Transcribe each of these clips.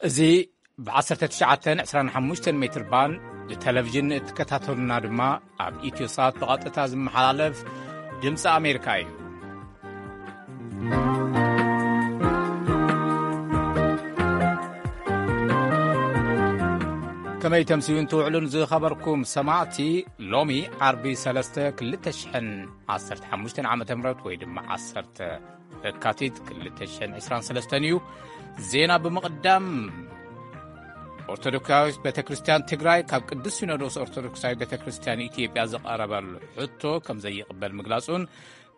እዚ ብ19 25 ሜትር ባንድ ብቴሌቪዥን እትከታተሉና ድማ ኣብ ኢትዮሳት ብቐጥታ ዝመሓላለፍ ድምፂ ኣሜሪካ እዩ። ከመይ ተምስዩን ትውዕሉን ዝኸበርኩም ሰማዕቲ፣ ሎሚ ዓርቢ 3 2015 ዓ ም ወይ ድማ 10 ለካቲት ክልተ ሽሕን ዕስራን ሰለስተን እዩ። ዜና ብምቕዳም፣ ኦርቶዶክሳዊት ቤተ ክርስቲያን ትግራይ ካብ ቅዱስ ሲኖዶስ ኦርቶዶክሳዊት ቤተ ክርስቲያን ኢትዮጵያ ዝቐረበሉ ሕቶ ከም ዘይቕበል ምግላጹን፣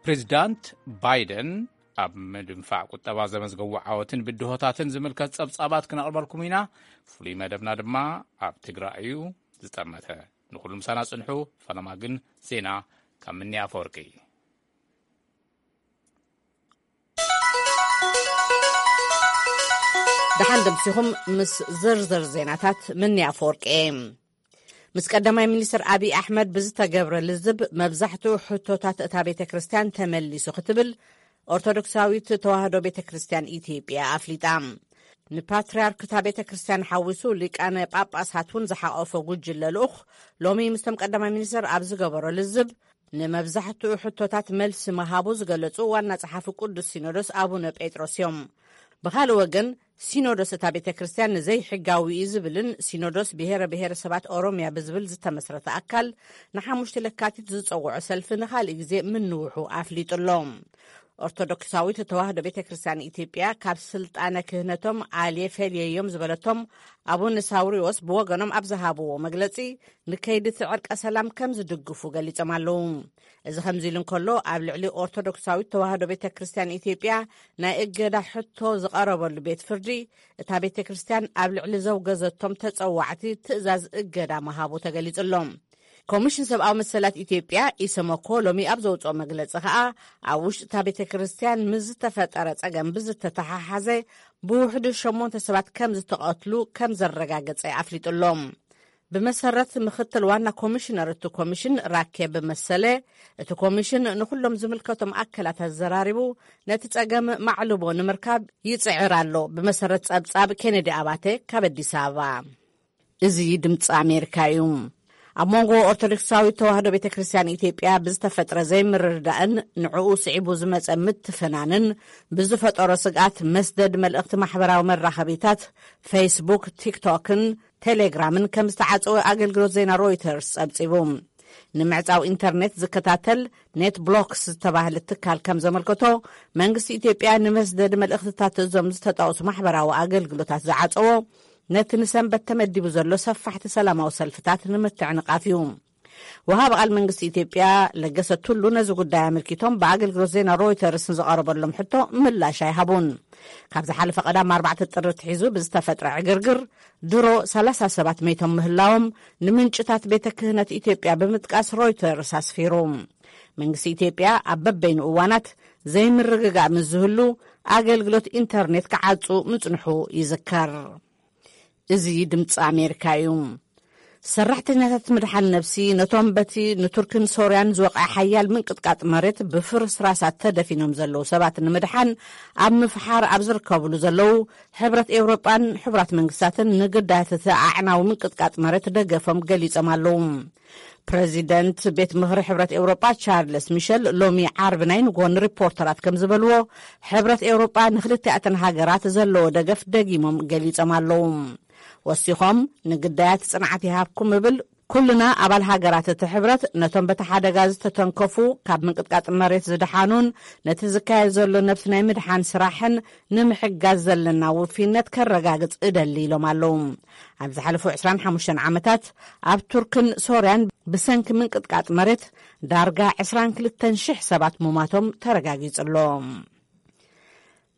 ፕሬዚዳንት ባይደን ኣብ ምድንፋዕ ቁጠባ ዘመዝገቡ ዓወትን ብድሆታትን ዝምልከት ጸብጻባት ክነቕርበልኩም ኢና። ፍሉይ መደብና ድማ ኣብ ትግራይ እዩ ዝጠመተ። ንኹሉ ምሳና ጽንሑ። ፈለማ ግን ዜና ካብ ምንያ ኣፈወርቂ። ደሓን ደምሲኹም ምስ ዝርዝር ዜናታት ምንያ ኣፈወርቂ እየ። ምስ ቀዳማይ ሚኒስትር ኣብይ ኣሕመድ ብዝተገብረ ልዝብ፣ መብዛሕትኡ ሕቶታት እታ ቤተ ክርስቲያን ተመሊሱ ክትብል ኦርቶዶክሳዊት ተዋህዶ ቤተ ክርስቲያን ኢትዮጵያ ኣፍሊጣ። ንፓትርያርክ እታ ቤተ ክርስቲያን ሓዊሱ ሊቃነ ጳጳሳት እውን ዝሓቆፈ ጉጅለ ልኡኽ ሎሚ ምስቶም ቀዳማይ ሚኒስትር ኣብ ዝገበሮ ልዝብ፣ ንመብዛሕትኡ ሕቶታት መልሲ ምሃቡ ዝገለጹ ዋና ጸሓፊ ቅዱስ ሲኖዶስ ኣቡነ ጴጥሮስ እዮም። ብኻልእ ወገን፣ ሲኖዶስ እታ ቤተ ክርስቲያን ንዘይሕጋዊ እዩ ዝብልን፣ ሲኖዶስ ብሔረ ብሔረሰባት ኦሮሚያ ብዝብል ዝተመስረተ ኣካል ንሓሙሽተ ለካቲት ዝጸውዖ ሰልፊ ንኻልእ ግዜ ምንውሑ ኣፍሊጡ ኣሎ። ኦርቶዶክሳዊት ተዋህዶ ቤተ ክርስቲያን ኢትዮጵያ ካብ ስልጣነ ክህነቶም ኣልየ ፈልየዮም ዝበለቶም ኣቡነ ሳውሪዎስ ብወገኖም ኣብ ዝሃብዎ መግለጺ፣ ንከይዲ እቲ ዕርቀ ሰላም ከም ዝድግፉ ገሊጾም ኣለዉ። እዚ ከምዚ ኢሉ እንከሎ፣ ኣብ ልዕሊ ኦርቶዶክሳዊት ተዋህዶ ቤተ ክርስቲያን ኢትዮጵያ ናይ እገዳ ሕቶ ዝቐረበሉ ቤት ፍርዲ፣ እታ ቤተ ክርስቲያን ኣብ ልዕሊ ዘውገዘቶም ተጸዋዕቲ ትእዛዝ እገዳ ምሃቡ ተገሊጹ ኣሎ። ኮሚሽን ሰብኣዊ መሰላት ኢትዮጵያ፣ ኢሰመኮ፣ ሎሚ ኣብ ዘውጽኦ መግለጺ ከኣ፣ ኣብ ውሽጢ እታ ቤተ ክርስቲያን ምስ ዝተፈጠረ ጸገም ብዝተተሓሓዘ፣ ብውሕዱ ሸሞንተ ሰባት ከም ዝተቐትሉ ከም ዘረጋገጸ ኣፍሊጡ ኣሎ። ብመሰረት ምክትል ዋና ኮሚሽነር እቲ ኮሚሽን ራኬብ መሰለ፣ እቲ ኮሚሽን ንኹሎም ዝምልከቶም ኣካላት ኣዘራሪቡ ነቲ ጸገም ማዕልቦ ንምርካብ ይጽዕር ኣሎ። ብመሰረት ጸብጻብ ኬኔዲ ኣባተ ካብ ኣዲስ ኣበባ። እዚ ድምፂ ኣሜሪካ እዩ። ኣብ መንጎ ኦርቶዶክሳዊት ተዋህዶ ቤተ ክርስቲያን ኢትዮጵያ ብዝተፈጥረ ዘይምርድዳእን ንዕኡ ስዒቡ ዝመፀ ምትፍናንን ብዝፈጠሮ ስግኣት፣ መስደድ መልእኽቲ ማሕበራዊ መራኸቢታት ፌስቡክ፣ ቲክቶክን ቴሌግራምን ከም ዝተዓጸወ ኣገልግሎት ዜና ሮይተርስ ጸብጺቡ። ንምዕጻው ኢንተርኔት ዝከታተል ኔት ብሎክስ ዝተባህለ ትካል ከም ዘመልከቶ፣ መንግስቲ ኢትዮጵያ ንመስደድ መልእኽትታት እዞም ዝተጠቕሱ ማሕበራዊ ኣገልግሎታት ዝዓጸዎ፣ ነቲ ንሰንበት ተመዲቡ ዘሎ ሰፋሕቲ ሰላማዊ ሰልፍታት ንምትዕንቓፍ እዩ። ወሃቢ ቃል መንግስቲ ኢትዮጵያ ለገሰ ቱሉ ነዚ ጉዳይ ኣመልኪቶም ብኣገልግሎት ዜና ሮይተርስ ንዝቐረበሎም ሕቶ ምላሽ ኣይሃቡን። ካብ ዝሓለፈ ቀዳም ኣርባዕተ ጥሪ ኣትሒዙ ብዝተፈጥረ ዕግርግር ድሮ ሰላሳ ሰባት መይቶም ምህላዎም ንምንጭታት ቤተ ክህነት ኢትዮጵያ ብምጥቃስ ሮይተርስ ኣስፊሩ። መንግስቲ ኢትዮጵያ ኣብ በበይኑ እዋናት ዘይምርግጋእ ምስ ዝህሉ ኣገልግሎት ኢንተርኔት ክዓጹ ምጽንሑ ይዝከር። እዚ ድምፂ ኣሜሪካ እዩ። ሰራሕተኛታት ምድሓን ነብሲ ነቶም በቲ ንቱርክን ሶርያን ዝወቕዐ ሓያል ምንቅጥቃጥ መሬት ብፍርስራሳት ተደፊኖም ዘለዉ ሰባት ንምድሓን ኣብ ምፍሓር ኣብ ዝርከብሉ ዘለዉ፣ ሕብረት ኤውሮጳን ሕቡራት መንግስታትን ንግዳያት እቲ ኣዕናዊ ምንቅጥቃጥ መሬት ደገፎም ገሊጾም ኣለዉ። ፕረዚደንት ቤት ምኽሪ ሕብረት ኤውሮጳ ቻርልስ ሚሸል ሎሚ ዓርቢ ናይ ንጎ ንሪፖርተራት ከም ዝበልዎ፣ ሕብረት ኤውሮጳ ንክልቲኣተን ሃገራት ዘለዎ ደገፍ ደጊሞም ገሊጾም ኣለዉ። ወሲኾም፣ ንግዳያት ጽንዓት ይሃብኩም እብል። ኩልና ኣባል ሃገራት እቲ ሕብረት ነቶም በቲ ሓደጋ ዝተተንከፉ፣ ካብ ምንቅጥቃጥ መሬት ዝደሓኑን ነቲ ዝካየድ ዘሎ ነብሲ ናይ ምድሓን ስራሕን ንምሕጋዝ ዘለና ውፊነት ከረጋግጽ እደሊ ኢሎም ኣለዉ። ኣብ ዝሓለፉ ዕስራን ሓሙሽተን ዓመታት ኣብ ቱርክን ሶርያን ብሰንኪ ምንቅጥቃጥ መሬት ዳርጋ ዕስራን ክልተን ሽሕ ሰባት ሙማቶም ተረጋጊጹ ኣሎ።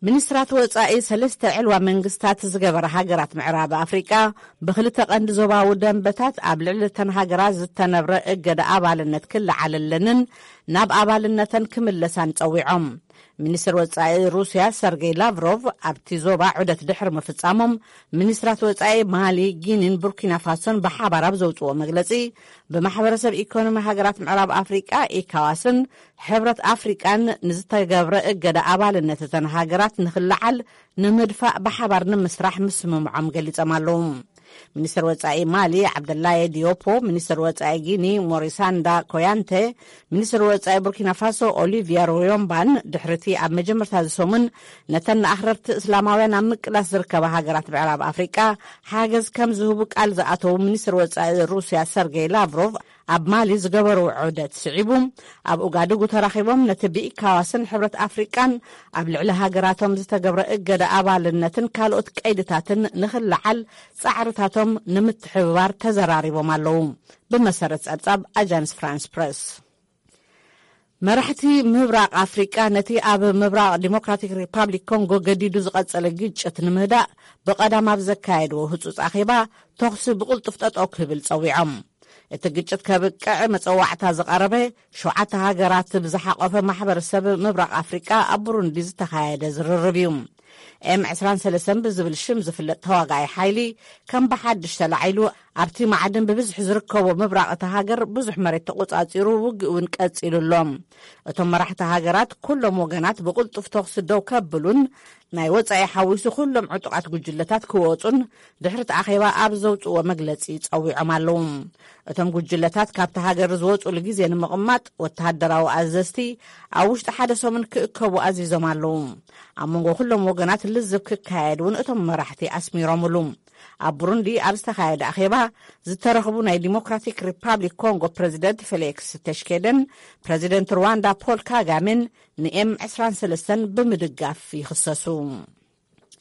ሚኒስትራት ወጻኢ ሰለስተ ዕልዋ መንግስታት ዝገበራ ሃገራት ምዕራብ ኣፍሪቃ፣ ብክልተ ቀንዲ ዞባዊ ደንበታት ኣብ ልዕሊ እተን ሃገራት ዝተነብረ እገዳ ኣባልነት ክለዓለለንን ናብ ኣባልነተን ክምለሳን ጸዊዖም። ሚኒስትር ወጻኢ ሩስያ ሰርጌይ ላቭሮቭ ኣብቲ ዞባ ዑደት ድሕሪ ምፍጻሞም፣ ሚኒስትራት ወጻኢ ማሊ፣ ጊኒን ቡርኪና ፋሶን ብሓባር ኣብ ዘውጽዎ መግለጺ፣ ብማሕበረሰብ ኢኮኖሚ ሃገራት ምዕራብ ኣፍሪቃ፣ ኢካዋስን ሕብረት ኣፍሪቃን ንዝተገብረ እገዳ ኣባልነት እተን ሃገራት ንኽለዓል ንምድፋእ ብሓባር ንምስራሕ ምስምምዖም ገሊጾም ኣለዉ። ሚኒስትር ወጻኢ ማሊ ዓብደላየ ዲዮፖ፣ ሚኒስትር ወጻኢ ጊኒ ሞሪሳንዳ ኮያንተ፣ ሚኒስትር ወጻኢ ቡርኪና ፋሶ ኦሊቪያ ሮዮምባን ድሕሪቲ ኣብ መጀመርታ እዚ ሰሙን ነተን ንኣኽረርቲ እስላማውያን ኣብ ምቅላስ ዝርከባ ሃገራት ምዕራብ ኣፍሪቃ ሓገዝ ከም ዝህቡ ቃል ዝኣተዉ ሚኒስትር ወጻኢ ሩስያ ሰርጌይ ላቭሮቭ፣ ኣብ ማሊ ዝገበርዎ ዑደት ስዒቡ፣ ኣብ ኡጋዱጉ ተራኺቦም ነቲ ብኢካዋስን ሕብረት ኣፍሪቃን ኣብ ልዕሊ ሃገራቶም ዝተገብረ እገዳ ኣባልነትን ካልኦት ቀይድታትን ንኽለዓል ጻዕርታቶም ንምትሕብባር ተዘራሪቦም ኣለዉ። ብመሰረት ጸብጻብ ኣጃንስ ፍራንስ ፕረስ፣ መራሕቲ ምብራቕ ኣፍሪቃ ነቲ ኣብ ምብራቕ ዲሞክራቲክ ሪፓብሊክ ኮንጎ ገዲዱ ዝቐጸለ ግጭት ንምህዳእ ብቐዳም ኣብ ዘካየድዎ ህጹጽ ኣኼባ፣ ተኹሲ ብቕልጡፍ ጠጠው ክብል ጸዊዖም። እቲ ግጭት ከብቅዕ መጸዋዕታ ዝቐረበ ሸውዓተ ሃገራት ብዝሓቖፈ ማሕበረሰብ ምብራቕ ኣፍሪቃ ኣብ ቡሩንዲ ዝተኻየደ ዝርርብ እዩ። ኤም ዕስራን ሰለስተን ብዝብል ሽም ዝፍለጥ ተዋጋኣይ ሓይሊ ከም ብሓድሽ ተላዒሉ፣ ኣብቲ ማዕድን ብብዝሒ ዝርከቦ ምብራቕ እታ ሃገር ብዙሕ መሬት ተቖጻጺሩ፣ ውግእ እውን ቀጺሉ ኣሎ። እቶም መራሕቲ ሃገራት ኩሎም ወገናት ብቕልጡፍ ተኹሲ ደው ከብሉን ናይ ወጻኢ ሓዊሱ ኩሎም ዕጡቓት ጉጅለታት ክወጹን ድሕሪ እቲ ኣኼባ ኣብ ዘውጽእዎ መግለጺ ጸዊዖም ኣለዉ። እቶም ጉጅለታት ካብቲ ሃገር ዝወጹሉ ግዜ ንምቕማጥ ወተሃደራዊ ኣዘዝቲ ኣብ ውሽጢ ሓደ ሰሙን ክእከቡ ኣዚዞም ኣለዉ። ኣብ መንጎ ኩሎም ወገናት ልዝብ ክካየድ እውን እቶም መራሕቲ ኣስሚሮምሉ። ኣብ ቡሩንዲ ኣብ ዝተኻየደ ኣኼባ ዝተረኽቡ ናይ ዲሞክራቲክ ሪፓብሊክ ኮንጎ ፕረዚደንት ፌሊክስ ተሽኬደን ፕረዚደንት ሩዋንዳ ፖል ካጋሜን ንኤም ዕስራን ሰለስተን ብምድጋፍ ይኽሰሱ።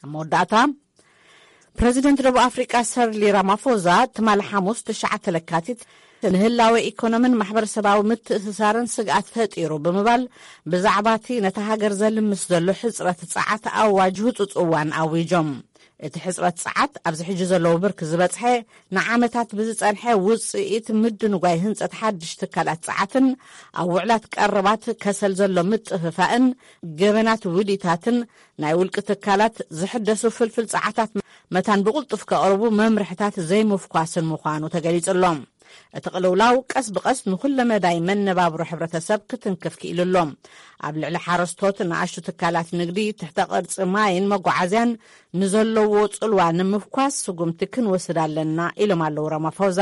ኣብ መወዳእታ፣ ፕረዚደንት ደቡብ ኣፍሪቃ ሰርሊ ራማፎዛ ትማሊ ሓሙስ ትሽዓተ ለካቲት ንህላወ ኢኮኖምን ማሕበረሰባዊ ምትእስሳርን ስግኣት ፈጢሩ ብምባል፣ ብዛዕባ እቲ ነታ ሃገር ዘልምስ ዘሎ ሕጽረት ጸዓት ኣዋጅ ህጹጽ እዋን ኣዊጆም። እቲ ሕጽረት ጸዓት ኣብዚ ሕጂ ዘለዎ ብርኪ ዝበጽሐ፣ ንዓመታት ብዝጸንሐ ውጽኢት ምድንጓይ ህንጸት ሓድሽ ትካላት ጸዓትን ኣብ ውዕላት ቀረባት ከሰል ዘሎ ምጥፍፋእን ገበናት ውዲታትን ናይ ውልቂ ትካላት ዝሕደሱ ፍልፍል ጸዓታት መታን ብቕልጡፍ ከቕርቡ መምርሕታት ዘይምፍኳስን ምዃኑ ተገሊጹ ኣሎ። እቲ ቅልውላው ቀስ ብቐስ ንኹለ መዳይ መነባብሮ ሕብረተሰብ ክትንክፍ ክኢሉ ኣሎ። ኣብ ልዕሊ ሓረስቶት፣ ንኣሽቱ ትካላት ንግዲ፣ ትሕተ ቅርጺ ማይን መጓዓዝያን ንዘለዎ ጽልዋ ንምፍኳስ ስጉምቲ ክንወስድ ኣለና ኢሎም ኣለዉ ራማፎዛ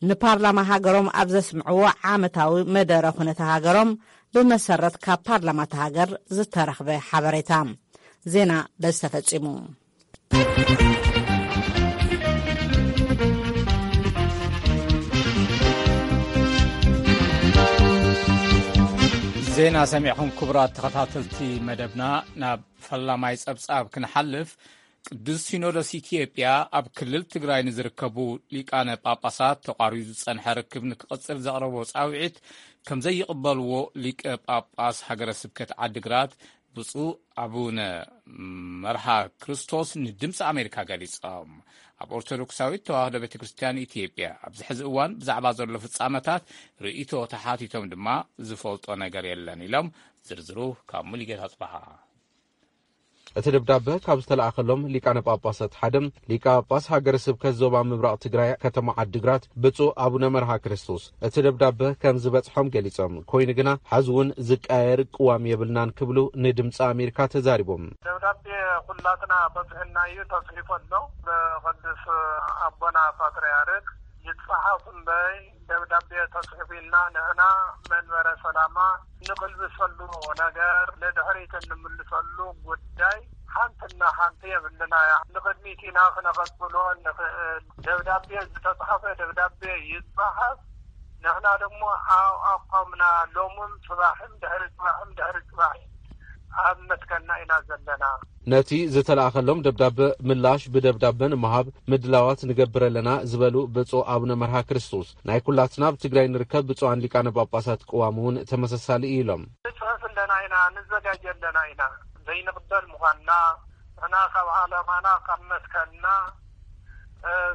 ንፓርላማ ሃገሮም ኣብ ዘስምዕዎ ዓመታዊ መደረ ኩነተ ሃገሮም ብመሰረት ካብ ፓርላማ እታ ሃገር ዝተረኽበ ሓበሬታ። ዜና በዚ ተፈጺሙ። ዜና ሰሚዕኹም ክቡራት ተኸታተልቲ መደብና። ናብ ፈላማይ ጸብጻብ ክንሓልፍ፣ ቅዱስ ሲኖዶስ ኢትዮጵያ ኣብ ክልል ትግራይ ንዝርከቡ ሊቃነ ጳጳሳት ተቋሪጹ ዝጸንሐ ርክብ ንክቕጽል ዘቕረቦ ጻውዒት ከም ዘይቕበልዎ ሊቀ ጳጳስ ሃገረ ስብከት ዓድግራት ብፁዕ ኣቡነ መርሃ ክርስቶስ ንድምፂ ኣሜሪካ ገሊጾም። ኣብ ኦርቶዶክሳዊት ተዋህዶ ቤተ ክርስቲያን ኢትዮጵያ ኣብዚ ሕዚ እዋን ብዛዕባ ዘሎ ፍጻመታት ርእይቶ ተሓቲቶም ድማ ዝፈልጦ ነገር የለን ኢሎም። ዝርዝሩ ካብ ሙሉጌታ ጽባሃ። እቲ ደብዳበ ካብ ዝተላእኸሎም ሊቃነ ጳጳሳት ሓደ ሊቀ ጳጳስ ሃገረ ስብከት ዞባ ምብራቕ ትግራይ ከተማ ዓዲግራት ብፁዕ ኣቡነ መርሃ ክርስቶስ እቲ ደብዳበ ከም ዝበጽሖም ገሊጾም፣ ኮይኑ ግና ሕዚ እውን ዝቀየር ቅዋም የብልናን ክብሉ ንድምፂ ኣሜሪካ ተዛሪቦም። ደብዳቤ ኩላትና በጽሕና እዩ ተጽሒፉ ኣሎ። ብቅዱስ ኣቦና ፓትርያርክ ይጸሓፍ እምበይ ደብዳቤ ተጽሒፉ ኢልና ንሕና መንበረ ሰላማ እንቅልብሰሉ ነገር ንድሕሪት እንምልሰሉ ጉዳይ ሓንትና ሓንቲ የብልና እያ። ንቅድሚት ኢና ክነቐጽሎ እንኽእል። ደብዳቤ ዝተጻሕፈ ደብዳቤ ይጻሓፍ። ንሕና ደሞ ኣብ ኣቋምና ሎምን ጽባሕን ድሕሪ ጽባሕን ድሕሪ ጽባሕ ኣብ መትከልና ኢና ዘለና። ነቲ ዝተላእኸሎም ደብዳበ ምላሽ ብደብዳበ ንምሃብ ምድላዋት ንገብር ኣለና ዝበሉ ብፁዕ ኣቡነ መርሃ ክርስቶስ፣ ናይ ኩላትና ኣብ ትግራይ ንርከብ ብፁዓን ሊቃነ ጳጳሳት ቅዋም እውን ተመሳሳሊ እዩ ኢሎም። ንጽሕፍ ኣለና ኢና፣ ንዘጋጀ ኣለና ኢና። ዘይንቕበል ምዃንና ንሕና ካብ ዓላማና ካብ መትከልና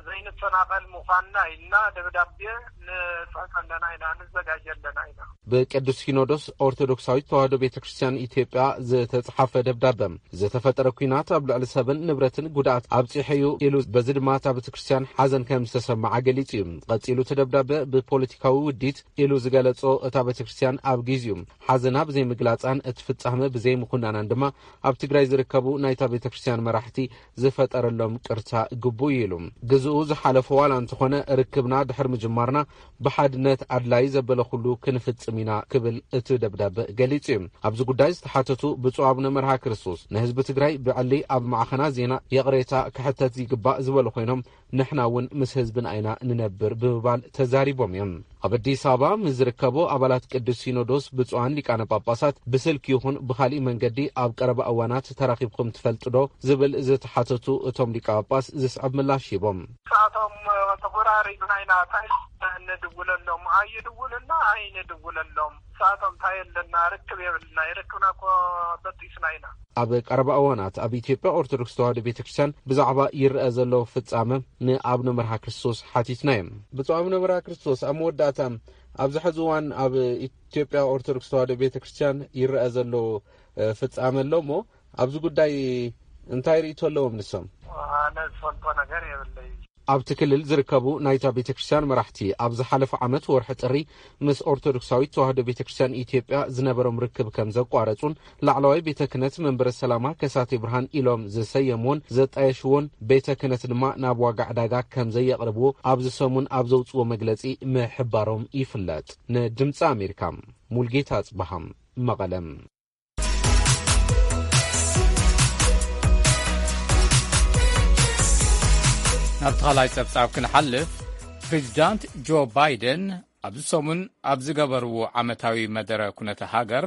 ዘይንፈናቐል ምዃንና ኢልና ደብዳቤ ንፅሕፍ ኣለና ኢና፣ ንዘጋጀ ኣለና ኢና። ብቅዱስ ሲኖዶስ ኦርቶዶክሳዊት ተዋህዶ ቤተ ክርስቲያን ኢትዮጵያ ዝተጻሓፈ ደብዳበ፣ ዝተፈጠረ ኲናት ኣብ ልዕሊ ሰብን ንብረትን ጉድኣት ኣብጺሐ እዩ ኢሉ፣ በዚ ድማ እታ ቤተ ክርስቲያን ሓዘን ከም ዝተሰምዓ ገሊጹ እዩ። ቀጺሉ እቲ ደብዳበ፣ ብፖለቲካዊ ውዲት ኢሉ ዝገለጾ እታ ቤተ ክርስቲያን ኣብ ግዜኡ ሓዘና ብዘይምግላጻን እቲ ፍጻመ ብዘይምኹናናን ድማ ኣብ ትግራይ ዝርከቡ ናይታ ቤተ ክርስቲያን መራሕቲ ዝፈጠረሎም ቅርታ ግቡእ እዩ ኢሉ። ግዝኡ ዝሓለፎ ዋላ እንተኾነ ርክብና ድሕሪ ምጅማርና ብሓድነት ኣድላይ ዘበለ ኩሉ ክንፍጽም ኢና ክብል እቲ ደብዳበ ገሊጹ እዩ። ኣብዚ ጉዳይ ዝተሓተቱ ብፁዕ ኣቡነ መርሃ ክርስቶስ ንህዝቢ ትግራይ ብዕሊ ኣብ ማዕኸና ዜና ይቕሬታ ክሕተት ይግባእ ዝበሉ ኮይኖም ንሕና እውን ምስ ህዝብና ኢና ንነብር ብምባል ተዛሪቦም እዮም። ኣብ ኣዲስ ኣበባ ምስ ዝርከቡ ኣባላት ቅዱስ ሲኖዶስ ብፁዓን ሊቃነ ጳጳሳት ብስልኪ ይኹን ብኻሊእ መንገዲ ኣብ ቀረባ እዋናት ተራኺብኩም ትፈልጡ ዶ ዝብል ዝተሓተቱ እቶም ሊቀ ጳጳስ ዝስዕብ ምላሽ ሂቦም። ንሳቶም ተጎራሪብና ኢና፣ እንታይ ንድውለሎም፣ ኣይድውልና ኣይንድውለሎም። ንሳቶም እንታይ ኣለና፣ ርክብ የብልና፣ ይርክብና እኮ በጢስና ኢና። ኣብ ቀረባ እዋናት ኣብ ኢትዮጵያ ኦርቶዶክስ ተዋህዶ ቤተ ክርስቲያን ብዛዕባ ይረአ ዘሎ ፍጻመ ንኣቡነ መርሃ ክርስቶስ ሓቲትና እዮም። ብፁዕ ኣቡነ መርሃ ክርስቶስ፣ ኣብ መወዳእታ፣ ኣብዚ ሕዚ እዋን ኣብ ኢትዮጵያ ኦርቶዶክስ ተዋህዶ ቤተ ክርስቲያን ይረአ ዘሎ፣ እ፣ ፍጻመ ኣሎ እሞ፣ ኣብዚ ጉዳይ እንታይ ርእይቶ ኣለዎም ንሶም? ኣነ ዝፈልጦ ነገር የብለይ። ኣብቲ ክልል ዝርከቡ ናይታ ቤተ ክርስቲያን መራሕቲ፣ ኣብ ዝሓለፈ ዓመት ወርሒ ጥሪ ምስ ኦርቶዶክሳዊት ተዋህዶ ቤተ ክርስቲያን ኢትዮጵያ ዝነበሮም ርክብ ከም ዘቋረጹን፣ ላዕለዋይ ቤተ ክህነት መንበረ ሰላማ ከሳቴ ብርሃን ኢሎም ዝሰየምዎን ዘጣየሽዎን ቤተ ክህነት ድማ ናብ ዋጋ ዕዳጋ ከም ዘየቕርብዎ ኣብዚ ሰሙን ኣብ ዘውጽዎ መግለጺ ምሕባሮም ይፍለጥ። ንድምጺ ኣሜሪካ፣ ሙልጌታ ኣጽብሃም፣ መቐለም። ናብ ተኻላይ ጸብጻብ ክንሓልፍ፣ ፕሬዚዳንት ጆ ባይደን ኣብዚ ሰሙን ኣብ ዝገበርዎ ዓመታዊ መደረ ኩነተ ሃገር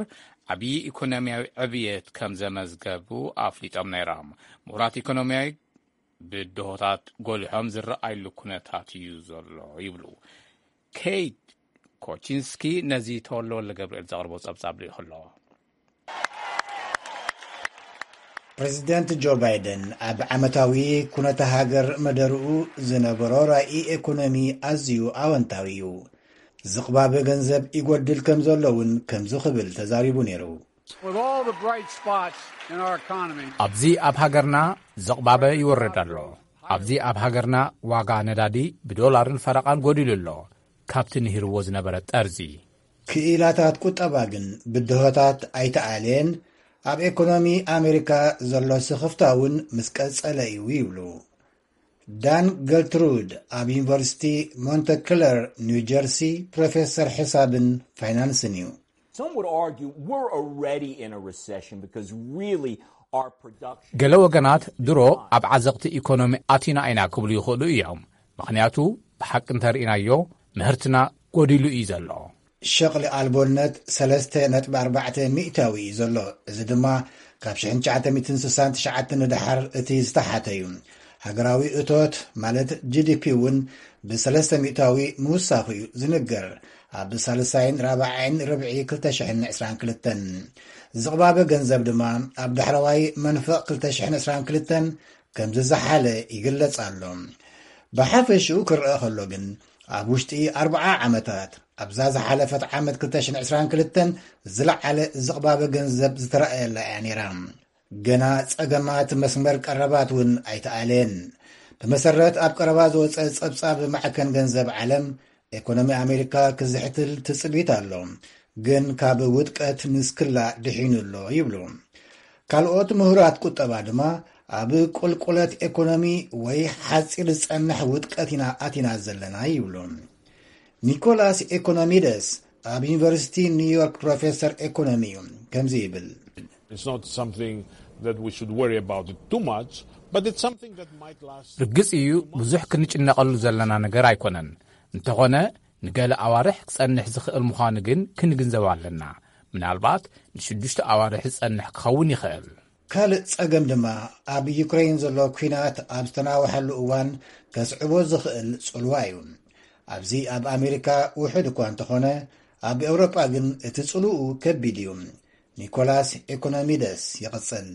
ዓብዪ ኢኮኖሚያዊ ዕብየት ከም ዘመዝገቡ ኣፍሊጦም ነይሮም። ምሁራት ኢኮኖሚያዊ ብድሆታት ጎሊሖም ዝረኣይሉ ኩነታት እዩ ዘሎ ይብሉ። ኬይት ኮቺንስኪ ነዚ ተወልደ ወልደ ገብርኤል ዘቕርቦ ጸብጻብ ልኢኹ ኣሎ። ፕሬዚደንት ጆ ባይደን ኣብ ዓመታዊ ኩነተ ሃገር መደርኡ ዝነበሮ ራኢ ኤኮኖሚ ኣዝዩ ኣወንታዊ እዩ። ዝቕባበ ገንዘብ ይጎድል ከም ዘሎ እውን ከምዚ ክብል ተዛሪቡ ነይሩ። With all the bright spots in our economy, ኣብዚ ኣብ ሃገርና ዝቕባበ ይወርድ ኣሎ። ኣብዚ ኣብ ሃገርና ዋጋ ነዳዲ ብዶላርን ፈረቓን ጎዲሉ ኣሎ፣ ካብቲ ንሂርዎ ዝነበረ ጠርዚ። ክኢላታት ቁጠባ ግን ብድሆታት ኣይተኣልየን፣ ኣብ ኤኮኖሚ ኣሜሪካ ዘሎ ስኽፍታ እውን ምስ ቀጸለ እዩ ይብሉ። ዳን ገልትሩድ ኣብ ዩኒቨርሲቲ ሞንተክለር ኒው ጀርሲ ፕሮፌሰር ሕሳብን ፋይናንስን እዩ። Some would argue we're already in a recession because really our production ገለ ወገናት ድሮ ኣብ ዓዘቕቲ ኢኮኖሚ ኣቲና ኢና ክብሉ ይኽእሉ እዮም። ምኽንያቱ ብሓቂ እንተርኢናዮ ምህርትና ጎዲሉ እዩ ዘሎ። ሸቕሊ ኣልቦነት ሰለስተ ነጥቢ ኣርባዕተ ሚእታዊ እዩ ዘሎ። እዚ ድማ ካብ ሽሕን ትሽዓተ ሚእትን ስሳን ትሽዓተን ንደሓር እቲ ዝተሓተ እዩ። ሃገራዊ እቶት ማለት ጂ ዲ ፒ እውን ብሰለስተ ሚእታዊ ምውሳኹ እዩ ዝንገር። ኣብ ሳልሳይን ራብዓይን ርብዒ ክልተ ሽሕን ዕስራን ክልተን ዝቕባበ ገንዘብ ድማ ኣብ ዳሕረዋይ መንፈቕ ክልተ ሽሕን ዕስራን ክልተን ከም ዝዘሓለ ይግለጽ ኣሎ። ብሓፈሽኡ ክረአ ከሎ ግን ኣብ ውሽጢ ኣርብዓ ዓመታት ኣብዛ ዝሓለፈት ዓመት ክልተ ሽሕን ዕስራን ክልተን ዝለዓለ ዝቕባበ ገንዘብ ዝተረኣየላ እያ ነይራ። ገና ጸገማት መስመር ቀረባት እውን ኣይተኣልየን። ብመሰረት ኣብ ቀረባ ዝወጸ ጸብጻብ ማዕከን ገንዘብ ዓለም፣ ኤኮኖሚ ኣሜሪካ ክዝሕትል ትጽቢት ኣሎ፣ ግን ካብ ውድቀት ንስክላ ድሒኑ ኣሎ ይብሉ። ካልኦት ምሁራት ቁጠባ ድማ ኣብ ቁልቁለት ኤኮኖሚ ወይ ሓጺር ዝጸንሕ ውድቀት ኢና ኣቲና ዘለና ይብሉ። ኒኮላስ ኤኮኖሚደስ ኣብ ዩኒቨርሲቲ ኒውዮርክ ፕሮፌሰር ኤኮኖሚ እዩ። ከምዚ ይብል። It's not something that we should worry about it too much, but it's something that might last. ርግጽ እዩ፣ ብዙሕ ክንጭነቐሉ ዘለና ነገር ኣይኮነን። እንተኾነ ንገለ ኣዋርሕ ክጸንሕ ዝኽእል ምዃኑ ግን ክንግንዘብ ኣለና። ምናልባት ንሽዱሽተ ኣዋርሕ ዝጸንሕ ክኸውን ይኽእል። ካልእ ጸገም ድማ ኣብ ዩክሬን ዘሎ ኲናት ኣብ ዝተናውሐሉ እዋን ከስዕቦ ዝኽእል ጽልዋ እዩ። ኣብዚ ኣብ ኣሜሪካ ውሑድ እኳ እንተኾነ፣ ኣብ ኤውሮጳ ግን እቲ ጽልኡ ከቢድ እዩ። ኒኮላስ ኤኮኖሚደስ ይቕጽል።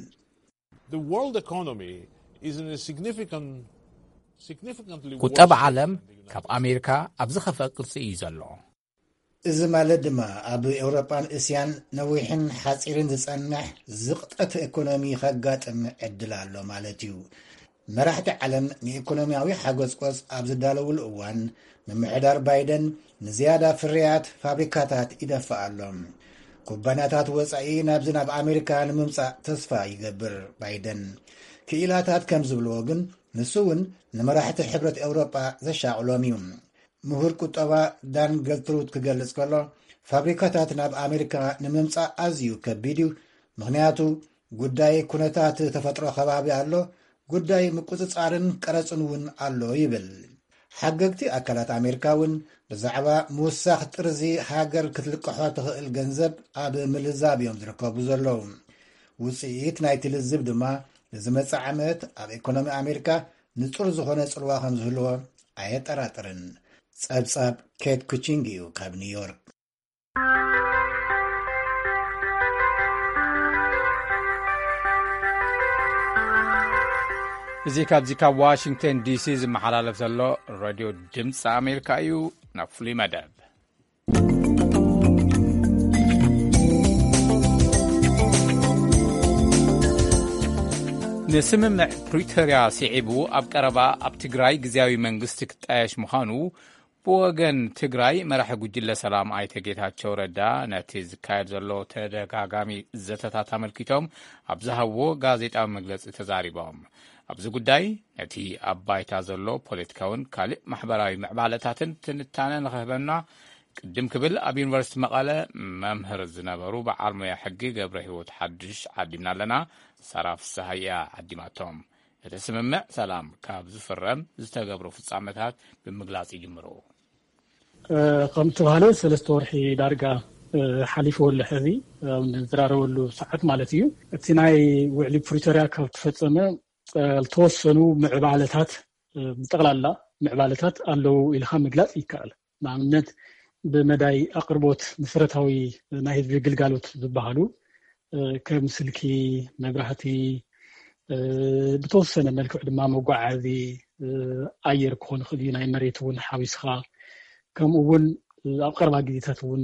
The world economy is in a significant ቁጠባ ዓለም ካብ ኣሜሪካ ኣብ ዝኸፍአ ቅርጺ እዩ ዘሎ። እዚ ማለት ድማ ኣብ ኤውሮጳን እስያን ነዊሕን ሓጺርን ዝጸንሕ ዝቕጠት ኢኮኖሚ ከጋጥም ዕድል ኣሎ ማለት እዩ። መራሕቲ ዓለም ንኢኮኖሚያዊ ሓጎጽቆጽ ኣብ ዝዳለውሉ እዋን፣ ምምሕዳር ባይደን ንዝያዳ ፍርያት ፋብሪካታት ይደፍእ ኣሎ። ኩባንያታት ወጻኢ ናብዚ ናብ ኣሜሪካ ንምምጻእ ተስፋ ይገብር ባይደን። ክኢላታት ከም ዝብልዎ ግን፣ ንሱ እውን ንመራሕቲ ሕብረት ኤውሮጳ ዘሻቕሎም እዩ። ምሁር ቁጠባ ዳን ገልትሩድ ክገልጽ ከሎ፣ ፋብሪካታት ናብ ኣሜሪካ ንምምጻእ ኣዝዩ ከቢድ እዩ። ምኽንያቱ፣ ጉዳይ ኩነታት ተፈጥሮ ከባቢ ኣሎ፣ ጉዳይ ምቁጽጻርን ቀረጽን እውን ኣሎ ይብል። ሓገግቲ ኣካላት ኣሜሪካ እውን ብዛዕባ ምውሳኽ ጥርዚ ሃገር ክትልቅሖ ትኽእል ገንዘብ ኣብ ምልዛብ እዮም ዝርከቡ ዘለዉ። ውጽኢት ናይቲ ልዝብ ድማ ንዝመጽእ ዓመት ኣብ ኢኮኖሚ ኣሜሪካ ንጹር ዝኾነ ጽልዋ ከም ዝህልዎ ኣየጠራጥርን። ጸብጻብ ኬት ኩቺንግ እዩ ካብ ኒውዮርክ። እዚ ካብዚ ካብ ዋሽንግተን ዲሲ ዝመሓላለፍ ዘሎ ሬድዮ ድምፂ ኣሜሪካ እዩ። ናብ ፍሉይ መደብ ንስምምዕ ፕሪቶርያ ስዒቡ ኣብ ቀረባ ኣብ ትግራይ ግዝያዊ መንግስቲ ክጣየሽ ምዃኑ ብወገን ትግራይ መራሒ ጉጅለ ሰላም ኣይተ ጌታቸው ረዳ ነቲ ዝካየድ ዘሎ ተደጋጋሚ ዘተታት ኣመልኪቶም ኣብ ዝሃብዎ ጋዜጣዊ መግለጺ ተዛሪቦም። ኣብዚ ጉዳይ ነቲ ኣብ ባይታ ዘሎ ፖለቲካውን ካልእ ማሕበራዊ ምዕባለታትን ትንታነ ንኽህበና ቅድም ክብል ኣብ ዩኒቨርሲቲ መቐለ መምህር ዝነበሩ በዓል ሞያ ሕጊ ገብረ ህይወት ሓድሽ ዓዲምና ኣለና። ሳራ ፍስሃያ ዓዲማቶም። እቲ ስምምዕ ሰላም ካብ ዝፍረም ዝተገብሩ ፍጻመታት ብምግላጽ ይጅምሩ። እ፣ ከም ተባህለ ሰለስተ ወርሒ ዳርጋ እ፣ ሓሊፍዎ ኣሎ። ሕዚ ኣብ ንዝራረበሉ ሰዓት ማለት እዩ። እቲ ናይ ውዕሊ ፕሪቶርያ ካብ ተፈጸመ እ፣ ዝተወሰኑ ምዕባለታት እ፣ ብጠቕላላ ምዕባለታት ኣለዉ ኢልካ ምግላጽ ይከኣል። ንኣብነት ብመዳይ ኣቕርቦት መሰረታዊ ናይ ህዝቢ ግልጋሎት ዝበሃሉ እ፣ ከም ስልኪ፣ መብራህቲ፣ እ፣ ብተወሰነ መልክዕ ድማ መጓዓዚ እ፣ ኣየር ክኾን ይኽእል እዩ፣ ናይ መሬት እውን ሓዊስኻ፣ ከምኡ እውን እ፣ ኣብ ቀረባ ግዜታት እውን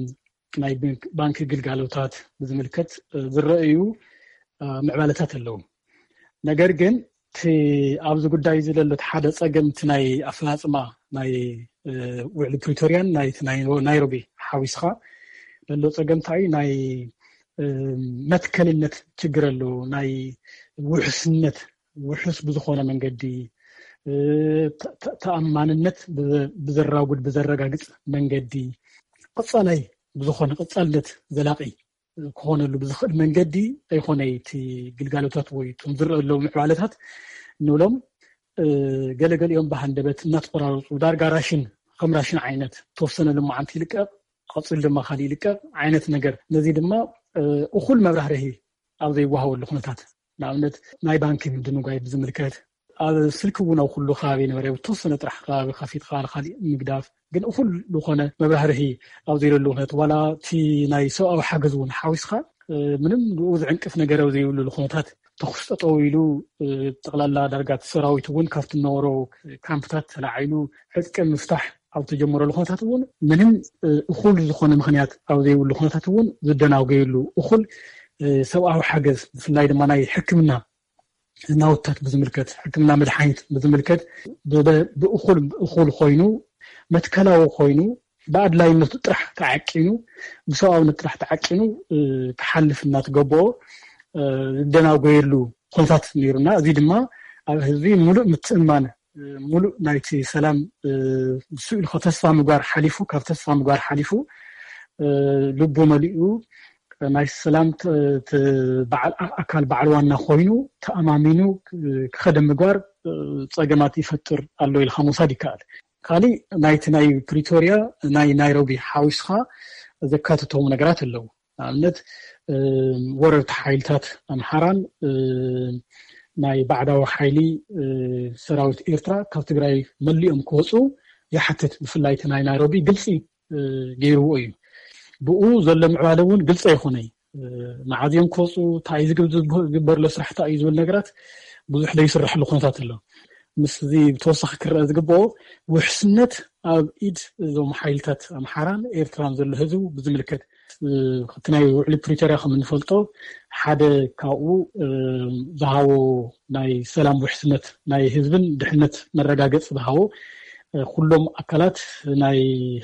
ናይ ባንክ- ባንኪ ግልጋሎታት ብዝምልከት እ፣ ዝረኣዩ እ፣ ምዕባለታት ኣለዉ። ነገር ግን እቲ ኣብዚ ጉዳይ እዚ ዘሎ እቲ ሓደ ጸገም እቲ ናይ ኣፈጻጽማ ናይ እ፣ ውዕሊ ፕሪቶርያን ናይ እቲ ናይ ናይሮቢ ሓዊስኻ ዘሎ ጸገም እንታይ እዩ? ናይ እ፣ መትከልነት ችግር ኣሎ። ናይ ውሕስነት ውሕስ ብዝኾነ መንገዲ እ፣ ተ- ተ- ተኣማንነት ብዘ- ብዘራጉድ ብዘረጋግጽ መንገዲ ቀጻላይ ብዝኾነ ቀጻልነት ዘላቒ ክኾነሉ ብዝኽእል መንገዲ ኣይኾነይ። እቲ ግልጋሎታት ወይ እቶም ዝረአ ኣለዉ ምዕባለታት ንብሎም እ፣ ገለገሊኦም ብሃንደበት እናተቆራረፁ ዳርጋ ራሽን ከም ራሽን ዓይነት ተወሰነ ልማዓንቲ ይልቀቕ፣ ቀፂሉ ድማ ካሊእ ይልቀቕ ዓይነት ነገር። ነዚ ድማ እ፣ እኹል መብራህርሂ ኣብ ዘይወሃበሉ ኩነታት ንኣብነት ናይ ባንኪ ምድንጓይ ብዝምልከት ኣብ ስልኪ እውን ኣብ ኩሉ ከባቢ ነበረ። ብተወሰነ ጥራሕ ከባቢ ከፊትካ ንካሊእ ምግዳፍ ግን እኹል ዝኾነ መብራህርሂ ኣብ ዘይብሉ ኩነት ዋላ እቲ ናይ ሰብኣዊ ሓገዝ እውን ሓዊስካ እ፣ ምንም ብኡ ዝዕንቅፍ ነገር ኣብ ዘይብሉ ኩነታት ተኩስ ጠጠው ኢሉ እ፣ ጠቕላላ ዳርጋ እቲ ሰራዊት እውን ካብቲ ነበሮ ካምፕታት ተላዒሉ ዕጥቂ ምፍታሕ ኣብ ተጀመረሉ ኩነታት እውን ምንም እ፣ እኹል ዝኾነ ምክንያት ኣብ ዘይብሉ ኩነታት እውን ዝደናጎየሉ እኹል እ፣ ሰብኣዊ ሓገዝ ብፍላይ ድማ ናይ ሕክምና ናውታት ብዝምልከት ሕክምና መድሓኒት ብዝምልከት ብእኹል እኹል ኮይኑ መትከላዊ ኮይኑ ብኣድላይነቱ ጥራሕ ተዓቂኑ ብሰብኣውነት ጥራሕ ተዓቂኑ ክሓልፍ እናተገበኦ ዝደናጎየሉ ኩነታት ነይሩና። እዚ ድማ ኣብ ህዝቢ ሙሉእ ምትእማን ሙሉእ ናይቲ ሰላም ብሱ ኢሉ ተስፋ ምግባር ሓሊፉ ካብ ተስፋ ምግባር ሓሊፉ ልቡ መሊኡ ናይ ሰላም በዓል ኣካል በዓል ዋና ኮይኑ ተኣማሚኑ ክኸደ ምግባር ፀገማት ይፈጥር ኣሎ ኢልካ ምውሳድ ይከኣል። ካሊእ ናይቲ ናይ ፕሪቶርያ ናይ ናይሮቢ ሓዊስካ ዘካተቶም ነገራት ኣለዉ። ንኣብነት ወረርቲ ሓይልታት ኣምሓራን ናይ ባዕዳዊ ሓይሊ ሰራዊት ኤርትራ ካብ ትግራይ መሊኦም ክወፁ ይሓትት። ብፍላይ እቲ ናይ ናይሮቢ ግልፂ ገይርዎ እዩ። ብኡ ዘሎ ምዕባለ እውን ግልፂ ኣይኮነይ። መዓዝ እዮም ክወፁ፣ እንታይ እዩ ዝግብ- ዝግበር ኣሎ ስራሕ እንታይ እዩ ዝብል ነገራት ብዙሕ ዘይስረሐሉ ኩነታት ኣሎ። ምስዚ ብተወሳኺ ክረአ ዝግብኦ ውሕስነት ኣብ ኢድ እዞም ሓይልታት ኣምሓራን ኤርትራን ዘሎ ህዝቡ ብዝምልከት፣ እ፣ እቲ ናይ ውዕሊ ፕሪቶርያ ከም እንፈልጦ ሓደ ካብኡ፣ እ፣ ዝሃቦ ናይ ሰላም ውሕስነት ናይ ህዝብን ድሕነት መረጋገጺ ዝሃቦ፣ እ፣ ኩሎም ኣካላት ናይ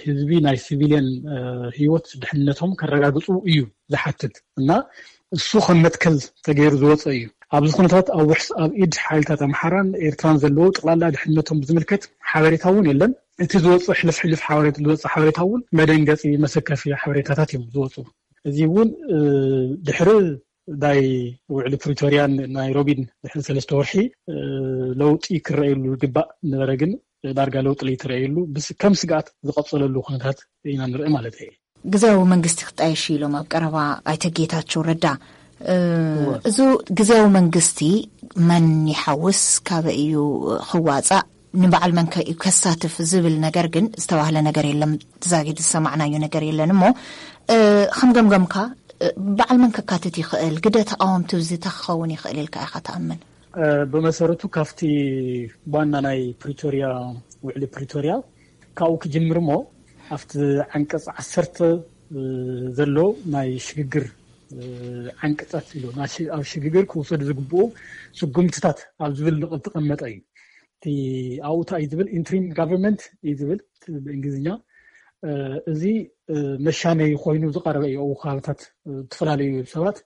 ህዝቢ ናይ ሲቪልየን፣ እ፣ ህይወት ድሕነቶም ከረጋግጹ እዩ ዝሓትት እና እሱ ከም መትከል ተገይሩ ዝወፀ እዩ። ኣብዚ ኩነታት ኣብ ውሕስ ኣብ ኢድ ሓይልታት ኣምሓራን ኤርትራን ዘለዎ ጠቕላላ ድሕነቶም ብዝምልከት ሓበሬታ እውን የለን። እቲ ዝወፅእ ሕልፍ ሕልፍ ሓበሬታ ዝወፅእ ሓበሬታ እውን መደንገፂ መሰከፊ ሓበሬታታት እዮም ዝወፁ። እዚ እውን፣ እ፣ ድሕሪ ናይ ውዕሊ ፕሪቶርያን ናይሮቢን ድሕሪ ሰለስተ ወርሒ፣ እ፣ ለውጢ ክረኣየሉ ዝግባእ ነበረ፣ ግን ዳርጋ ለውጢ ለይተረኣየሉ ብስ-፣ ከም ስግኣት ዝቐፀለሉ ኩነታት ኢና ንርኢ ማለት እዩ። ግዝያዊ መንግስቲ ክጣየሽ ኢሎም ኣብ ቀረባ ኣይተ ጌታቸው ረዳ። እ፣ እወ። እዚ ግዝያዊ መንግስቲ መን ይሓውስ፣ ካበይ እዩ ክዋፃእ፣ ንበዓል መን ከ እዩ ከሳትፍ ዝብል ነገር ግን ዝተባህለ ነገር የለን። ዛጊድ ዝሰማዕናዮ ነገር የለን እሞ፣ እ፣ ከም ገምገምካ፣ እ፣ በዓል መን ከካትት ይኽእል፣ ግደ ተቃወምቲ እዚ እንታይ ክኸውን ይኽእል ኢልካ ኢኻ ትኣምን? እ፣ ብመሰረቱ ካብቲ ዋና ናይ ፕሪቶርያ፣ ውዕሊ ፕሪቶርያ ካብኡ ክጅምር እሞ ኣብቲ ዓንቀጽ ዓሰርተ፣ እ፣ ዘሎ ናይ ሽግግር፣ እ፣ ዓንቀጻት ኢሉ ናይ ሽ-፣ ኣብ ሽግግር ክውሰዱ ዝግብኡ ስጉምትታት ኣብ ዝብል ንቕል ተቐመጠ እዩ። እቲ ኣብኡ እንታይ እዩ ዝብል? ኢንትሪም ጋቨርንመንት እዩ ዝብል ብእንግሊዝኛ። እ፣ እዚ፣ እ፣ መሻመይ ኮይኑ ዝቐረበ እዩ። ኣብኡ ከባብታት፣ እ፣ ዝተፈላለዩ ሰባት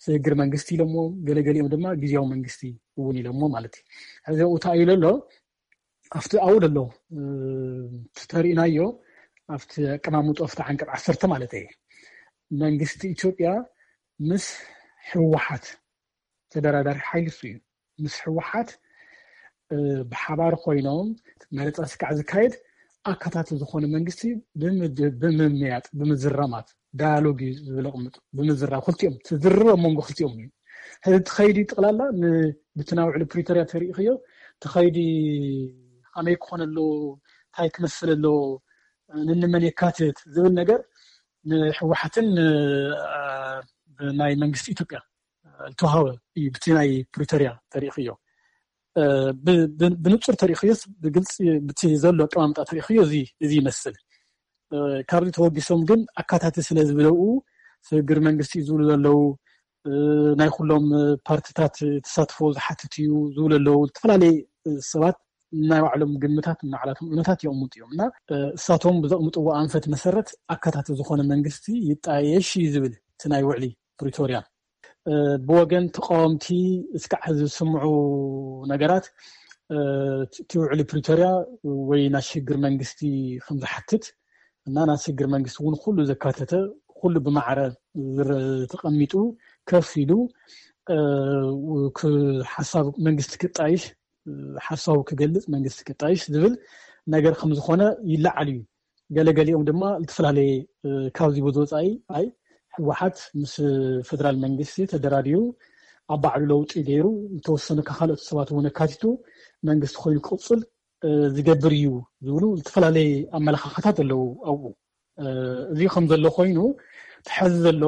ስግግር መንግስቲ ኢሎሞ፣ ገለገሊኦም ድማ ግዝያዊ መንግስቲ እውን ኢሎሞ ማለት እዩ። ሕዚ ኣብኡ እንታይ እዩ ዘሎ? ኣብቲ ኣብኡ ዘሎ፣ እ፣ ተሪእናዮ፣ ኣብቲ ኣቀማምጦ፣ ኣብቲ ዓንቀጽ ዓሰርተ ማለት እዩ። መንግስቲ ኢትዮጵያ ምስ ህወሓት ተደራዳሪ ሓይሊ እሱ እዩ። ምስ ህወሓት፣ እ፣ ብሓባር ኮይኖም መረፃ ስካዕ ዝካየድ ኣካታቲ ዝኾነ መንግስቲ ብምድ-፣ ብምምያጥ፣ ብምዝራማት፣ ዳያሎግ እዩ ዝብል ኣቕምጡ። ብምዝራብ ክልቲኦም፣ ትዝርብ ኣብ መንጎ ክልቲኦም እዩ። ሕዚ እቲ ኸይዲ ጠቕላላ ን-፣ ብቲ ናይ ውዕሊ ፕሪቶርያ ተሪእኽዮ፣ እቲ ኸይዲ ከመይ ክኾን ኣለዎ፣ እንታይ ክመስል ኣለዎ፣ ንንመን የካትት ዝብል ነገር ንህወሓትን ን-፣ እ፣ ናይ መንግስቲ ኢትዮጵያ ዝተዋሃበ እዩ። ብቲ ናይ ፕሪቶርያ ተሪእኽዮ፣ እ፣ ብ-፣ ብ-፣ ብንጹር ተሪእኽዮስ ብግልጺ ብቲ ዘሎ ኣቀማምጣ ተሪእኽዮ እዚ፣ እዚ ይመስል። እ፣ ካብዚ ተወጊሶም ግን ኣካታቲ ስለ ዝብለኡ ስግግር መንግስቲ እዩ ዝብሉ ዘለዉ፣ እ፣ ናይ ኩሎም ፓርትታት ተሳትፎ ዝሓትት እዩ ዝብሉ ኣለዉ። ዝተፈላለዩ ሰባት ናይ ባዕሎም ግምታት፣ ናይ ባዕላቶም እምነታት የቕምጡ እዮም እና፣ እ፣ እሳቶም ብዘቕምጥዎ ኣንፈት መሰረት ኣካታቲ ዝኾነ መንግስቲ ይጣየሽ እዩ ዝብል እቲ ናይ ውዕሊ ፕሪቶርያ። እ፣ ብወገን ተቃወምቲ እስካዕ ዝስምዑ ነገራት፣ እ፣ እቲ ውዕሊ ፕሪቶርያ ወይ ናይ ሽግግር መንግስቲ ከም ዝሓትት እና ናይ ሽግግር መንግስቲ እውን ኩሉ ዘካተተ፣ ኩሉ ብማዕረ ዝረ-፣ ተቐሚጡ ከፍ ኢሉ፣ እ፣ ክ-፣ ሓሳብ መንግስቲ ክጣይሽ፣ ሓሳቡ ክገልጽ መንግስቲ ክጣይሽ ዝብል ነገር ከም ዝኾነ ይለዓል እዩ። ገለገሊኦም ድማ ዝተፈላለየ፣ እ፣ ካብዚ ብዝወጻኢ ኣይ ህወሓት ምስ ፌደራል መንግስቲ ተደራዲሩ ኣብ ባዕሉ ለውጢ ገይሩ ዝተወሰኑ ካልኦት ሰባት እውን ኣካቲቱ መንግስቲ ኮይኑ ክቕጽል፣ እ፣ ዝገብር እዩ ዝብሉ ዝተፈላለየ ኣመለኻኽታት ኣለዉ ኣብኡ። እ፣ እዚ ከም ዘሎ ኮይኑ፣ እቲ ሐዚ ዘሎ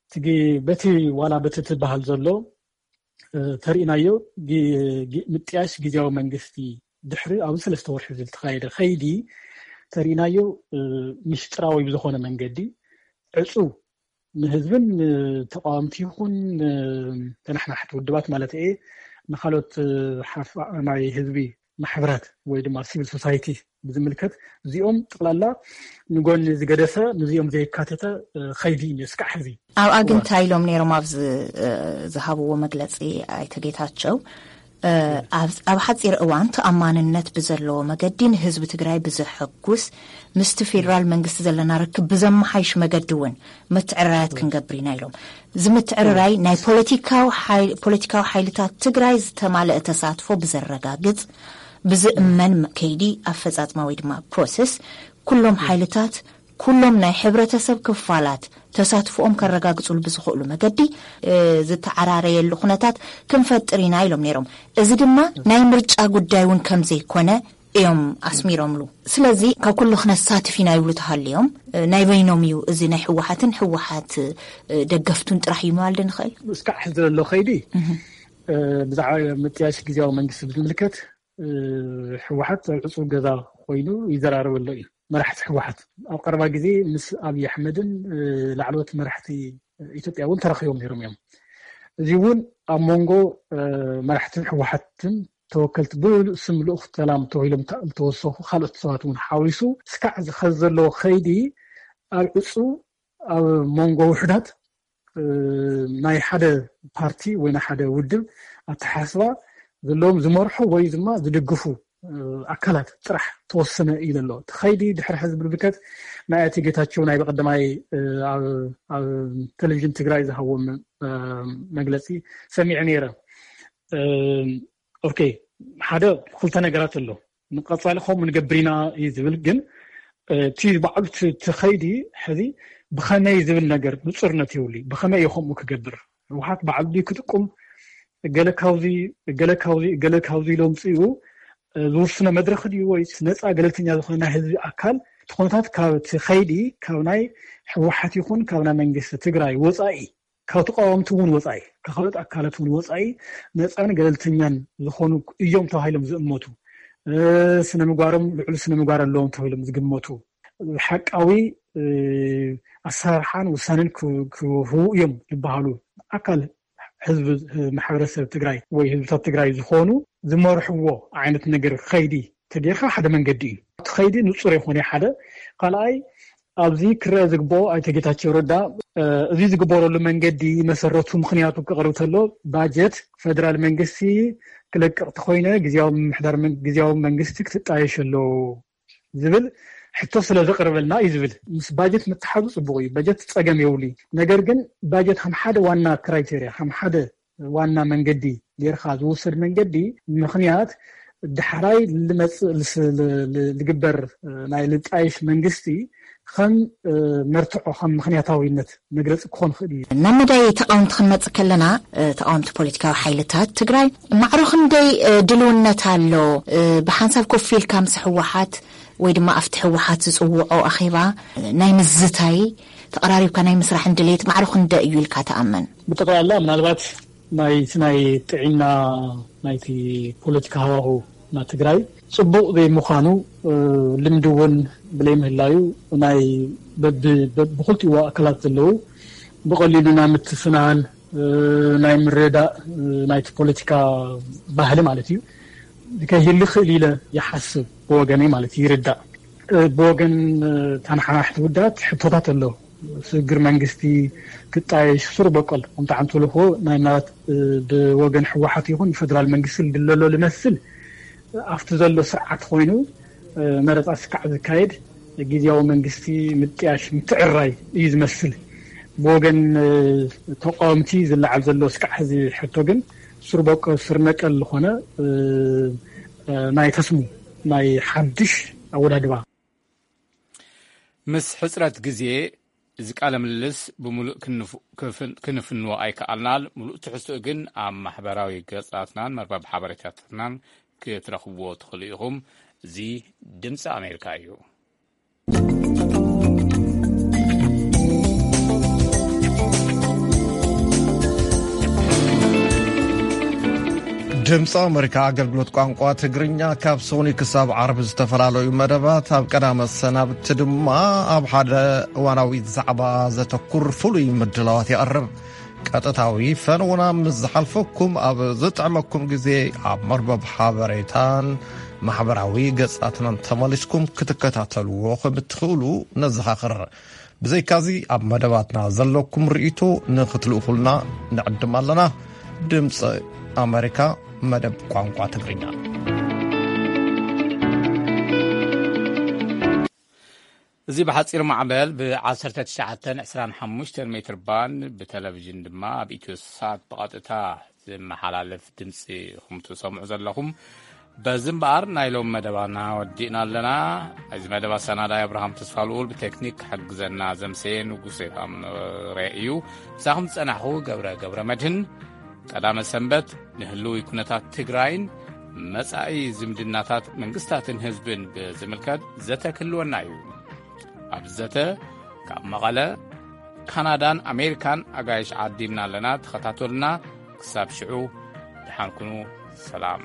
እቲ ግ-፣ በቲ ዋላ በቲ ትበሃል ዘሎ፣ እ፣ ተሪእናዮ ግ-፣ ግ-፣ ምጥያሽ ግዝያዊ መንግስቲ ድሕሪ ኣብዚ ሰለስተ ወርሒ ዝተኻየደ ኸይዲ ተሪእናዮ፣ እ፣ ምሽጥራዊ ብዝኾነ መንገዲ ዕጹው ንህዝብን ንተቃወምቲ ይኹን ንተናሕናሕቲ ውድባት ማለት እየ፣ ንኻልኦት፣ እ፣ ሓፋ-፣ ናይ ህዝቢ ማሕበራት ወይ ድማ ሲቪል ሶሳይቲ ብዝምልከት እዚኦም ጠቕላላ ንጎኒ ዝገደፈ፣ ንዚኦም ዘየካተተ፣ እ፣ ኸይዲ እዩ እስካዕ ሕዚ። ኣብኣ ግን እወ። እንታይ ኢሎም ነይሮም? ኣብዚ፣ እ፣ ዝሃብዎ መግለጺ ኣይተ ጌታቸው፣ እ፣ ኣብ፣ ኣብ ሓጺር እዋን ተኣማንነት ብዘለዎ መገዲ ንህዝቢ ትግራይ ብዘሐጉስ ምስቲ ፌደራል መንግስቲ ዘለና ርክብ ብዘመሓይሽ መገዲ እውን ምትዕርራያት ክንገብር ኢና ኢሎም። እዚ ምትዕርራይ ናይ ፖለቲካዊ ሓይ-፣ ፖለቲካዊ ሓይልታት ትግራይ ዝተማለአ ተሳትፎ ብዘረጋግጽ፣ ብዝእመን ከይዲ ኣፈጻጽማ ወይ ድማ ፕሮሰስ ኩሎም ሓይልታት፣ ኩሎም ናይ ሕብረተሰብ ክፋላት ተሳትፎኦም ከረጋግጹሉ ብዝኽእሉ መገዲ፣ እ፣ ዝተዓራረየሉ ኩነታት ክንፈጥር ኢና ኢሎም ነይሮም። እዚ ድማ ናይ ምርጫ ጉዳይ እውን ከም ዘይኮነ እዮም ኣስሚሮምሉ። ስለዚ ካብ ኩሉ ክነሳትፍ ኢና ይብሉ ተሃልዮም፣ እ፣ ናይ በይኖም እዩ፣ እዚ ናይ ህወሓትን ህወሓት፣ እ፣ ደገፍቱን ጥራሕ እዩ ምባል ዶ ንኽእል? እስካዕ ሕዚ ዘሎ ኸይዲ፣ እህ። እ፣ ብዛዕባ ምጥያሽ ግዝያዊ መንግስቲ ብዝምልከት ህወሓት ኣብ ዕፁብ ገዛ ኮይኑ ይዘራረበሎ እዩ። መራሕቲ ህወሓት ኣብ ቀረባ ግዜ ምስ ኣብይ ኣሕመድን ላዕለዎት መራሕቲ ኢትዮጵያ እውን ተራኺቦም ነይሮም እዮም። እዚ እውን ኣብ መንጎ መራሕትን ህወሓትን ተወከልቲ ብሉእ ስም ልኡኽ ሰላም ተባሂሎም ዝተወሰኹ ካልኦት ሰባት እውን ሓዊሱ ስካዕ ዝኸዚ ዘለዎ ከይዲ ኣብ ዕፁ ኣብ መንጎ ውሕዳት ናይ ሓደ ፓርቲ ወይ ናይ ሓደ ውድብ ኣተሓስባ ዘለዎም ዝመርሑ ወይ ድማ ዝድግፉ ኣካላት ጥራሕ ተወሰነ እዩ ዘሎ። እቲ ኸይዲ ድሕሪ ሕዚ ብርብከት ናይ ኣቶ ጌታቸው ናይ በቀደማይ ኣብ ቴሌቪዥን ትግራይ ዝሃቦም መግለፂ ሰሚዐ ነይረ። ኦኬ፣ ሓደ ክልተ ነገራት ኣሎ። ንቀፃሊ ከምኡ ንገብር ኢና እዩ ዝብል፣ ግን እቲ ባዕሉ እቲ ኸይዲ ሕዚ ብኸመይ ዝብል ነገር ንፁርነት የብሉ። ብኸመይ እዩ ከምኡ ክገብር? ህወሓት ባዕሉ ድዩ ክጥቁም? ገለ ካብዚ ገለ ካብዚ ገለ ካብዚ ኢሎም ፅኡ ዝውስኖ መድረክ ድዩ ወይስ ነፃ ገለልተኛ ዝኾነ ናይ ህዝቢ ኣካል? እቲ ኩነታት ካብ እቲ ኸይዲ ካብ ናይ ህወሓት ይኹን ካብ ናይ መንግስቲ ትግራይ ወፃኢ ካብ ተቃወምቲ እውን ወፃኢ ካብ ካልኦት ኣካላት እውን ወፃኢ ነፃን ገለልተኛን ዝኾኑ እዮም ተባሂሎም ዝእመቱ፣ ስነ ምግባሮም ልዕሉ ስነ ምግባር ኣለዎም ተባሂሎም ዝግመቱ፣ ሓቃዊ ኣሰራርሓን ውሳኔን ክህቡ እዮም ዝበሃሉ ኣካል ህዝቢ ማሕበረሰብ ትግራይ ወይ ህዝብታት ትግራይ ዝኾኑ ዝመርሕዎ ዓይነት ነገር ከይዲ ተጌርካ ሓደ መንገዲ እዩ። እቲ ከይዲ ንፁር ይኾነ ሓደ ካልኣይ ኣብዚ ክረአ ዝግብኦ ኣይተ ጌታቸው ረዳ እዚ ዝግበረሉ መንገዲ መሰረቱ ምክንያቱ ክቐርብ ተሎ ባጀት ፌደራል መንግስቲ ክለቅቕ ተኮይነ ግዝያዊ ምምሕዳር ግዝያዊ መንግስቲ ክትጣየሽ ኣለዎ ዝብል ሕቶ ስለ ዘቕርበልና እዩ ዝብል። ምስ ባጀት ምትሓዙ ፅቡቕ እዩ። በጀት ፀገም የብሉ። ነገር ግን ባጀት ከም ሓደ ዋና ክራይቴሪያ ከም ሓደ ዋና መንገዲ ጌርካ ዝውሰድ መንገዲ ምክንያት ዳሕራይ ልመፅእ ልግበር ናይ ልጣይሽ መንግስቲ ከም መርትዖ ከም ምክንያታዊነት መግለፂ ክኾን ይኽእል እዩ። ናብ መዳይ ተቃወምቲ ክንመፅእ ከለና ተቃወምቲ ፖለቲካዊ ሓይልታት ትግራይ ማዕሮ ክንደይ ድልውነት ኣሎ? ብሓንሳብ ኮፍ ኢልካ ምስ ህወሓት ወይ ድማ ኣብቲ ህወሓት ዝፅውዖ ኣኼባ ናይ ምዝታይ ተቐራሪብካ ናይ ምስራሕ ድሌት ማዕሮ ክንደይ እዩ ኢልካ ትኣምን? ብጠቕላላ ምናልባት ናይቲ ናይ ጥዕና ናይቲ ፖለቲካ ሃዋሁ ናይ ትግራይ ፅቡቕ ዘይምዃኑ ልምዲ እውን ብለይ ምህላዩ ናይ ብክልቲኡ ኣካላት ዘለዉ ብቐሊሉ ናይ ምትፍናን ናይ ምርዳእ ናይቲ ፖለቲካ ባህሊ ማለት እዩ ከይህሉ ይኽእል ኢለ ይሓስብ ብወገነይ ማለት ይርዳእ። ብወገን ተነሓናሕቲ ውዳት ሕቶታት ኣሎ። ስግግር መንግስቲ ክጣየሽ ስሩ በቆል ከምቲ ዓንቶ ልኮ ናይ ምናልባት ብወገን ህወሓት ይኹን ብፌደራል መንግስቲ ዝድለሎ ዝመስል ኣብቲ ዘሎ ስርዓት ኮይኑ መረፃ ስካዕ ዝካየድ ግዝያዊ መንግስቲ ምጥያሽ ምትዕራይ እዩ ዝመስል። ብወገን ተቃወምቲ ዝለዓል ዘሎ ስካዕ ሕዚ ሕቶ ግን ስር በቆል ስር ነቀል ዝኾነ ናይ ተስሙ ናይ ሓድሽ ኣወዳድባ ምስ ሕፅረት ግዜ እዚ ቃለ ምልልስ ብምሉእ ክንፍንዎ ኣይከኣልናን። ምሉእ ትሕዝትኡ ግን ኣብ ማሕበራዊ ገጻትናን መርበብ ሓበሬታታትናን ክትረኽብዎ ትኽእሉ ኢኹም። እዚ ድምጺ ኣሜሪካ እዩ። ድምፂ ኣመሪካ ኣገልግሎት ቋንቋ ትግርኛ ካብ ሰኑይ ክሳብ ዓርቢ ዝተፈላለዩ መደባት ኣብ ቀዳመ ሰናብቲ ድማ ኣብ ሓደ እዋናዊ ዛዕባ ዘተኩር ፍሉይ ምድላዋት የቕርብ። ቀጥታዊ ፈነውና ምስ ዝሓልፈኩም ኣብ ዝጥዕመኩም ግዜ ኣብ መርበብ ሓበሬታን ማሕበራዊ ገጻትናን ተመሊስኩም ክትከታተልዎ ከም እትኽእሉ ነዘኻኽር። ብዘይካዚ ኣብ መደባትና ዘለኩም ርእይቶ ንኽትልእኹልና ንዕድም ኣለና። ድምፂ ኣመሪካ መደብ ቋንቋ ትግርኛ። እዚ ብሓፂር ማዕበል ብ1925 ሜትር ባንድ ብቴሌቪዥን ድማ ኣብ ኢትዮ ሳት ብቐጥታ ዝመሓላለፍ ድምፂ ኢኹም ትሰምዑ ዘለኹም። በዚ እምበኣር ናይ ሎም መደባና ወዲእና ኣለና። እዚ መደብ ኣሰናዳይ ኣብርሃም ተስፋ ልኡል ብቴክኒክ ክሕግዘና ዘምሰየ ንጉሴ ታምሬ እዩ። ምሳኹም ዝጸናሕኹ ገብረ ገብረ መድህን። ቀዳመ ሰንበት ንህልዊ ኩነታት ትግራይን መጻኢ ዝምድናታት መንግስታትን ህዝብን ብዝምልከት ዘተ ክህልወና እዩ። ኣብ ዘተ ካብ መቐለ ካናዳን ኣሜሪካን ኣጋይሽ ዓዲምና ኣለና። ተኸታተሉና። ክሳብ ሽዑ ደሓን ኩኑ። ሰላም።